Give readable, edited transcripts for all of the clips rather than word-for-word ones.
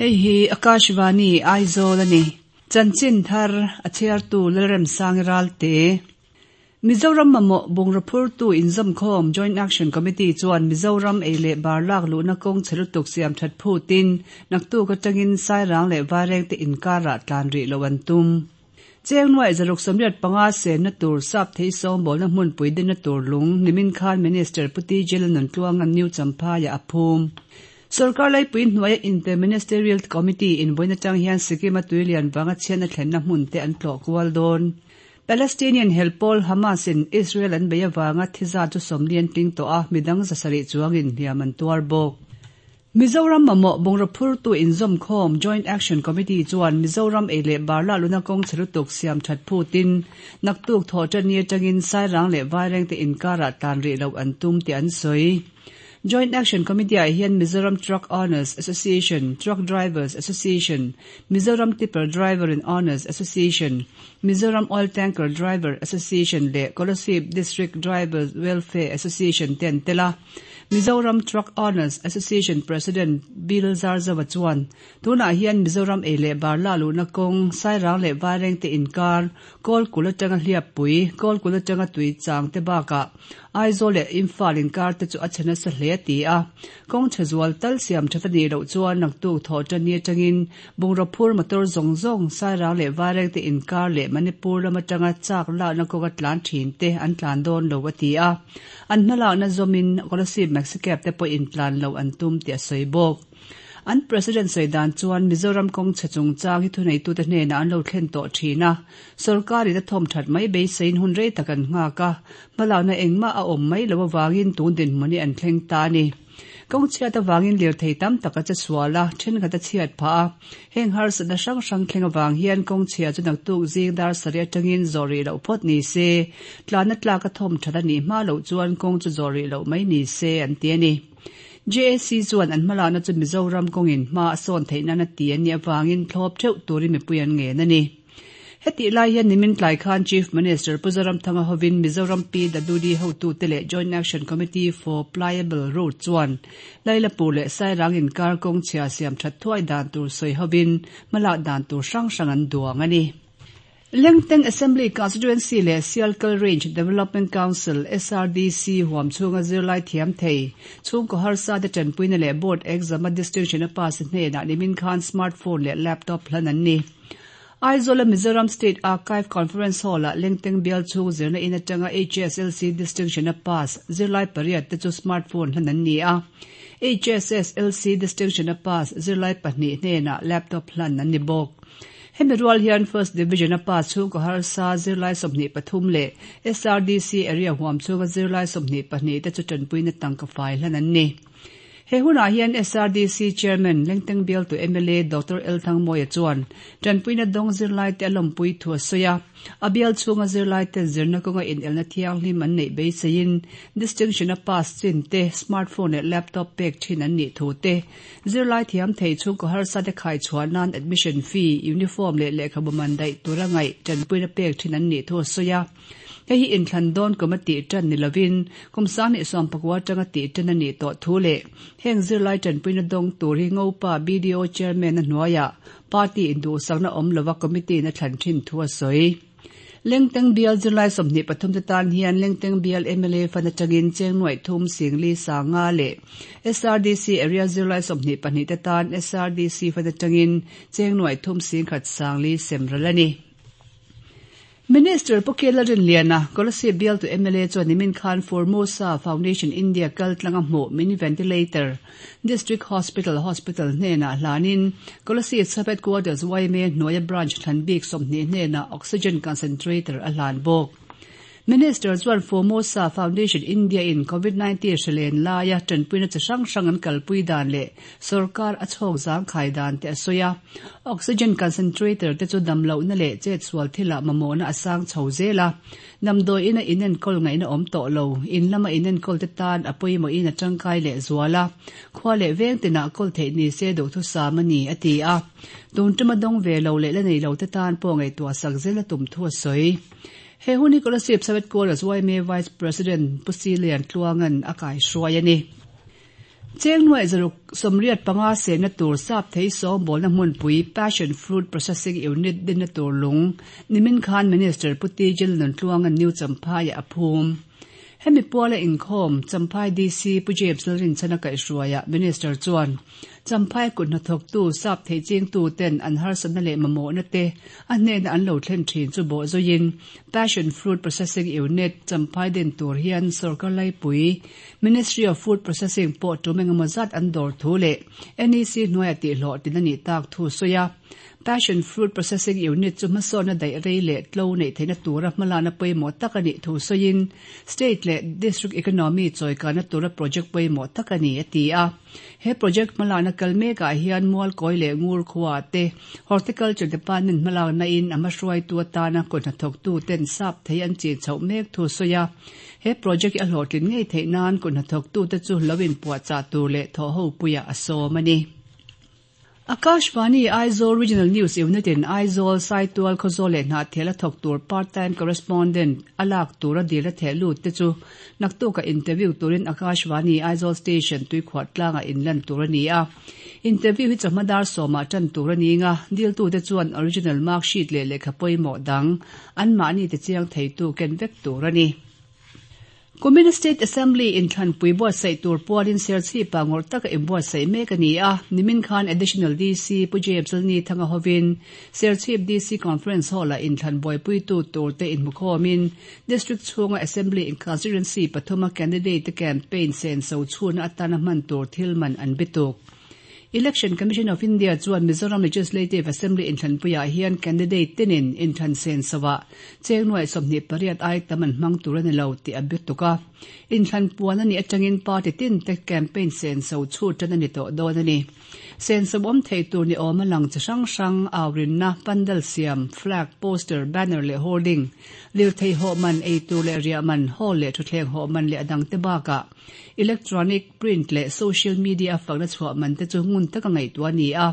Hei hi Akashvani Aizawl a ni. Chanchin thar a chhiartu Lalremsangi Ralte. Mizoram mamawh bungraw phurtu inzawmkhawm Joint Action Committee chuan Mizoram ei leh bar lak luhna kawng chhe lutuk siam that phutin naktuk atangin Sairang leh Vairengte inkarah tlan rih loh an tum. Cheng nuaih 685 senna tur sap thei sawngbawlna hmunpui dinna tur lung nimin khan Minister Pu TJ Lalnuntluanga'n New Champhaiah a phum. Sorkar laipui hnuaia inpe Ministerial Committee in vawiin atang hian Sikkim-a tuilian vanga chhiatna thlenna hmun te an tlawh kual dawn. Palestinian hel pawl Hamas in Israel an bei avanga thi zat chu 40 an tling tawh a, midang 700 chuangin hliam an tuar bawk. Mizoram mamawh bungraw phurtu inzawmkhawm Joint Action Committee chuan Mizoram ei leh bar lah luna kawng chhe lutuk siam that phutin naktuk thawhṭanni atangin Sairang leh Vairengte inkarah tlan rih loh an tum tih an sawi. Joint Action Committee-ah hian Mizoram Truck Owners Association, Truck Drivers Association, Mizoram Tipper Driver and Owners Association, Mizoram Oil Tanker Driver Association leh Kolasib District Drivers Welfare Association te an tel a. Mizoram Truck Owners Association President Bill Zarzova chuan, Tunah hian Mizoram ei leh bar la luhna kawng, Sairang leh Vairengte inkar, Kawlkul atanga Hliappui, Kawlkul atanga Tuichang te bakah Aizawl leh Imphal inkar te chu a chhe nasa hle a ti a. Kawng chhe zual tal siam that a nih loh chuan naktuk thawh tanni atangin bungraw phur motor zawng zawng Sairang leh Vairengte inkar leh Manipur lam atanga chak lakna kawnga tlan thin te an tlan dawn lo a ti a. An hmalakna zawmin Kolasib Maxicab te pawhin tlan loh an tum tih a sawi bawk. An President sawi dan chuan Mizoram kawng chhe chungchang hi thuneitute hnenah an lo thlen tawh thin a, sorkarin a thawm that mai beiseiin hun rei tak an nghak a, hmalakna engmah a awm mai loh avangin tun dinhmun hi an thleng ta a ni. Kawng chhiat avangin lirthei tam tak a che sual a, thenkhat a chhiat phah a. Heng harsatna hrang hrang thleng avang hian kawng chhia chu naktuk zing dar sarih atangin zawh rih loh phawt ni se, tlanna tlak a thawm that a nih hma loh chuan kawng chu zawh rih loh mai ni se an ti a ni. JAC chuan an hmalakna chu Mizoram kawngin hma a sawn theih nan a ti a nih avangin thlawp theuh turin mipui an ngen a ni. Hetih lai hian nimin tlai khan Chief Minister Pu Zoramthanga hovin Mizoram PWD hotute leh Joint Action Committee for Pliable Road chuan Lailapur leh Sairang inkar kawng chhia siam that thuai dan tur sawi hovin hmalak dan tur hrang hrang an duang a ni. Lengteng Assembly Constituency leh Sialkal Range Development Council, SRDC, huam chhunga zirlai thiam thei, chhungkaw harsa te tanpuina leh Board exam a distinction a pass hnenah nimin khan smartphone leh laptop hlan an ni. Aizawl-a Mizoram State Archive Conference Hall-ah Lengteng bial chhung zirna in atanga HSLC distinction a pass zirlai pariat te chu smartphone hlan an ni a. HSSLC distinction a pass zirlai pahnih hnenah laptop hlan an ni bawk. Hemi rual hian First Division a pass chhungkaw harsa zirlai 23 leh SRDC area huam chhunga zirlai 22 te chu tanpuina tangka fai hlan an ni. He hunah hian SRDC Chairman, Lengteng bialtu mla Doctor L Thangmawia chuan tanpuina dawng zirlaite a lawmpui thu a sawi a. A bial chhunga zirlaiten zirna kawnga inelna thianghlim an neih beiseiin distinction a pass chin te, smartphone leh laptop pek thin an nih thu te, zirlai thiam thei chhungkaw harsa te khai chhuah nan admission fee, uniform leh lehkhabu man daih tura ngaih tanpuina pek thin an nih thu a sawi a. Hei hi inthlan dawn kum a tih tan ni lovin kum 2019 atanga tih tan a nih tawh thu leh heng zirlai tanpuina dawng tur hi Ngopa BDO Chairman a hnuaiah party induhsakna awm lova committee in a thlan thin thu a sawi. Lengteng bial zirlai 23 te tan hian Lengteng bial mla fund atangin cheng nuaih thum singli sanga leh SRDC area zirlai 22 te tan SRDC fund atangin cheng nuaih thum singkhat sangli semral a ni. Minister Pu Kela Rinliana, Kolasib bialtu mla chuan nimin khan Formosa Foundation India kal tlanga hmuh mini ventilator District Hospital Hospital hnenah hlanin Kolasib Sub Headquarters yma hnuaia branch thlan bik 20 hnenah oxygen concentrator a hlan bawk. Minister chuan Formosa Foundation India in Covid-19 hrilen laia tanpuina chi hrang hrang an kalpui dan leh sorkar a chhawk zang khai dan te a sawi a. Oxygen concentrator te chu dam lohna leh chet sual thilah mamawhna a sang chho zel a. Damdawi ina inenkawl ngaihna awm tawh lo, in lama inenkawl te tan a pawimawhin a tangkai leh zual a. Khua leh veng tinah kawl theih ni se duhthusam a ni, a ti a. Tun tuma dawng ve lo leh la nei lo te tan pawh ngaihtuah sak zel a tum thu a sawi. He hun hi Kolasib Sub Headquarters yma Vice President Pu Silian Tluanga'n a kaihruai a ni. Cheng nuaih 685 senna tur sap thei sawngbawlna hmunpui Passion Fruit Processing Unit dinna tur lung nimin khan Minister Pu TJ Lalnuntluanga'n New Champhaiah a phum. Hemi puala inkhawm Champhai DC Pu James Lalrinchhana kaihhruaiah Minister chuan Champhai kut hnathawktu sap thei chingtu ten an harsatna leh mamawhna te a hnena an lo thlen thin chu bawh zuiin Passion Fruit Processing Unit Champhai din tur hian sawrkar laipui Ministry of Food Processing pawh tum engemaw zat an dawr thu leh NEC hnuaia tihhlawhtlin a nih tak thu sawi a. Passion Fruit Processing Unit chu hmasawnna daih rei leh tlo neih theihna tura hmalakna pawimawh tak a nih thu sawiin State leh District Economy chawikana tura project pawimawh tak a ni, a ti a. He project hmalakna kal mekah hian Mualkawi leh Ngur khuaah te Horticulture Department hmalakna in a hmahruaitu atana kut hnathawktu ten sap thei an chin chhoh mek thu sawi a. He project hi a hlawhtlin ngei theih nan kut hnathawktute chu lo inpuahchah tur leh thawhho puiah a sawm a ni. Akashvani Aizawl Regional News Unit in Aizawl, Saitual, Khawzawl leh Hnahthial a thawk tur part-time correspondent a lak tura dil a theh lut te chu naktukah interview turin Akashvani Aizawl Station tuikhuah tlangah inlan tur a ni a. Interview hi chawhma dar sawmah tan tur a ning a, diltute chuan original mark sheet leh lehkha pawimawh dang anmahni tichiang theitu ken vek tur a ni. Kumin State Assembly inthlanpui buatsaih tur pualin Serchhipa ngawrh taka inbuatsaih mek a ni a, nimin khan Additional DC Pu James Lalnithanga hovin Serchhip DC Conference Hall-ah inthlan buaipuitu turte inhmukhawmin District chhunga Assembly in Constituency pathuma candidate te campaign senso chhunna atana hman tur thil man an bituk. Election Commission of India chuan Mizoram Legislative Assembly inthlanpuiah hian candidate tinin inthlan senso-ah cheng nuaih 28 ai tam an hmang tur a ni lo tih a bituk a. Inthlan puan a nih atangin party tin te campaign senso chhut tan a ni tawh dawn a ni. Senso awm thei tur ni awm a lang chi hrang hrang, aurinna, pandal siam, flag, poster, banner leh hoarding, lirthei hawh man, eitur leh riah man, hall leh thutthleng hawh man leh a dangte bakah electronic, Print leh social media a fakna chhuah man te chu ngun taka ngaihtuah a ni a,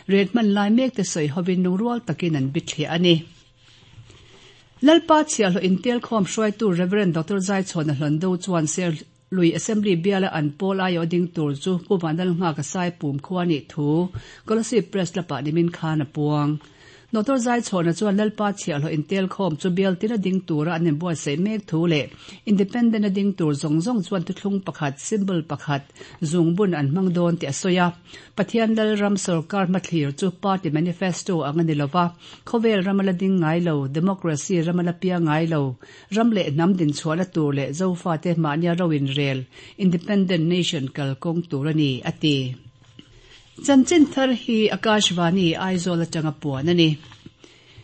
ret hman lai mek te sawi hovin lungrual takin an bithliah a ni. Lalpa chhiahhlawh intelkhawm hruaitu Rev. Doctor Zaichhawna Hlawndo chuan Serlui Assembly biala an pawl aiawh ding tur chu Pu Vanlalnghaka Saipum khua nih thu Kolasib Press Club-ah nimin khan a puang. Doctor Zaichhawna chuan Lalpa chhiahhlawh intelkhawm chu bial tina ding tura an inbuatsaih mek thu leh Independent a ding tur zawng zawng chuan thuthlung pakhat, symbol pakhat, zungbun an hmang dawn tih a sawi a. Pathian Lalram sawrkar hmathlir chu party manifesto ang a ni lova, khawvel ram a la ding ngai lo, democracy ram a la piang ngai lo, ram leh hnam dinchhuahna tur leh Zofate mahnia ro inrel, independent nation kalkawng tur a ni, a ti. Chanchin thar hi Akashvani, Aizawl atanga puan a ni.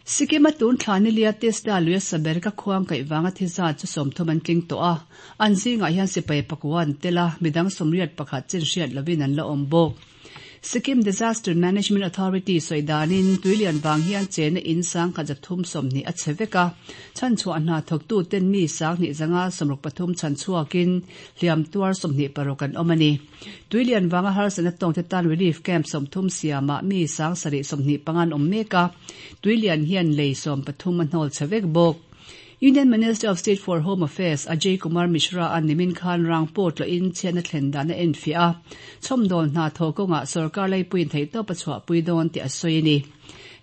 Sikkim-a tun thla nilia Tista luia saber ka khuang kaih vanga thi zat chu 30 an tling tawh a, an zingah hian sipai pakua an tel a, midang 81 chin hriat lovin an la awm bawk. Sikkim Disaster Management Authority sawi danin tuilian vang hian chena in 1320 a chhe vek a, chhanchhuah hna thawktuten mi 2563 chhanchhuakin hliam tuar 26 an awm a ni. Tuilian vanga harsatna tawngte tan relief camp 30 siamah mi 725 an awm mek a, tuilian hian lei 13 a hnawl chhe vek bawk. Union Minister of State for Home Affairs Ajay Kumar Mishra-a nimin khan rang pawh tlawhin chhiatna thlen dan a enfiah a, chhawmdawl hna thawh kawngah sorkar laipuiin theihtawp a chhuahpui dawn tih a sawi a ni.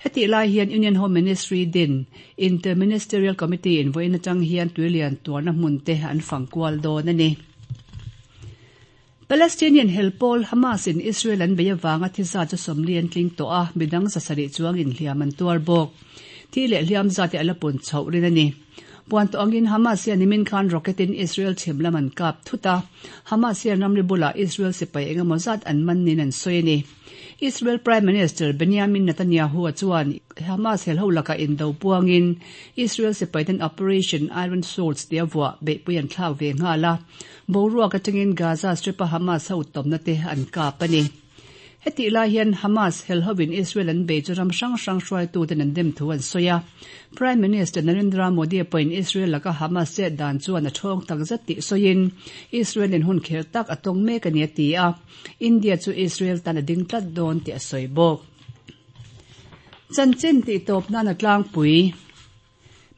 Hetih lai hian Union Home Ministry din Inter-Ministerial Committee in vawiin atang hian tuilian tuarna hmun te an fang kual dawn a ni. Palestinian hel pawl Hamas in Israel an bei avanga thi zat chu 40 an tling tawh a, midang 700 chuangin hliam an tuar bawk. Thi leh hliam zat hi a la pun chhoh rin a ni. Puan tawh angin Hamas hian nimin khan rocket in Israel chhim lam an kap thut a, Hamas hian ramri bulah Israel sipai engemaw zat an man niin an sawi a ni. Israel Prime Minister Benjamin Netanyahu-a chuan Hamas helho lakah indo puangin Israel sipaiten Operation Iron Swords tia vuah beihpui an thlak ve nghal a, boruak atangin Gaza Strip-a Hamas ho tawmna te an kap a ni. Hetih lai hian Hamas helhovin Israel an bei chu ram hrang hrang hruaituten an dem thu an sawi a. Prime Minister Narendra Modi pawhin Israel laka Hamas chet dan chuan a thawng takzet tih sawiin Israel-in hun kher tak a tawng mek a ni a ti a. India chu Israel tan a ding tlat dawn tih a sawi bawk. Chanchin tih tawp nan a tlangpui.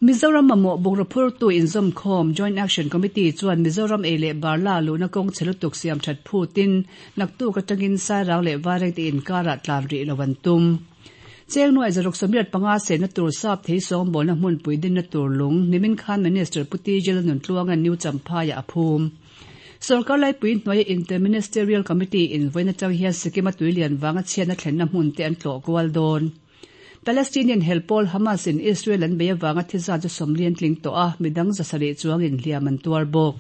Mizoram mamawh bungraw phurtu inzawmkhawm, Joint Action Committee chuan Mizoram ei leh bar la luhna kawng chhe lutuk siam that phutin naktuk atangin Sairang leh Vairengte inkarah tlan rih lo an tum. Cheng nuai 685 senna tur sap thei sawngbawlna hmunpui dinna tur lung nimin khan Minister Pu TJ Lalnuntluanga'n New Champhaiah a phum. Sorkar laipui hnuaia Inter-Ministerial Committee in vawiin atang hian Sikkim-a tuilian vanga chhiatna thlenna hmun te an tlawh kual dawn. Palestinian hel pawl Hamas in Israel an bei avanga thi zat chu 40 an tling tawh a, midang 700 chuangin hliam an tuar bawk.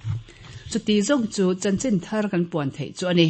Chuti zawng chu chanchin thar kan puan theih chu a ni.